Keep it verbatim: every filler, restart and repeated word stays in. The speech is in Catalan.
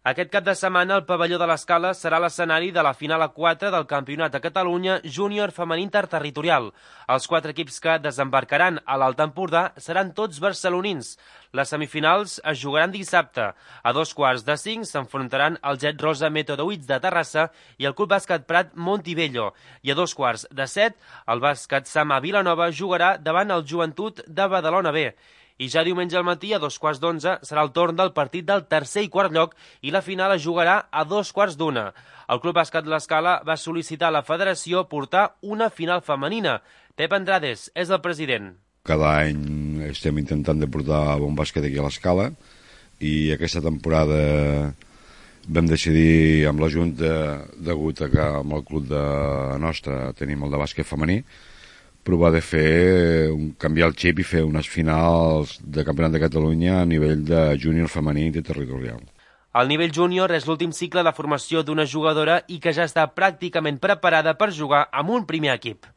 Aquest cap de setmana el pavelló de l'Escala serà l'escenari de la final a quatre del Campionat de Catalunya júnior femení interterritorial. Els quatre equips que desembarcaran a l'Alt Empordà seran tots barcelonins. Les semifinals es jugaran dissabte. A dos quarts de cinc s'enfrontaran el Jet Rosa Método Huits de Terrassa i el Club Bàsquet Prat Montibello. I a dos quarts de set, el Bàsquet Sama Vilanova jugarà davant el Joventut de Badalona B. I ja diumenge al matí, a dos quarts d'onze, serà el torn del partit del tercer i quart lloc i la final es jugarà a dos quarts d'una. El Club Bàsquet l'Escala va sol·licitar a la federació portar una final femenina. Pep Andrades és el president. Cada any estem intentant de portar bon bàsquet aquí a l'Escala i aquesta temporada vam decidir amb la Junta, degut a que amb el club de nostre tenim el de bàsquet femení, provar de fer, un, canviar el xip i fer unes finals de Campionat de Catalunya a nivell de júnior femení interterritorial. El nivell júnior és l'últim cicle de formació d'una jugadora i que ja està pràcticament preparada per jugar amb un primer equip.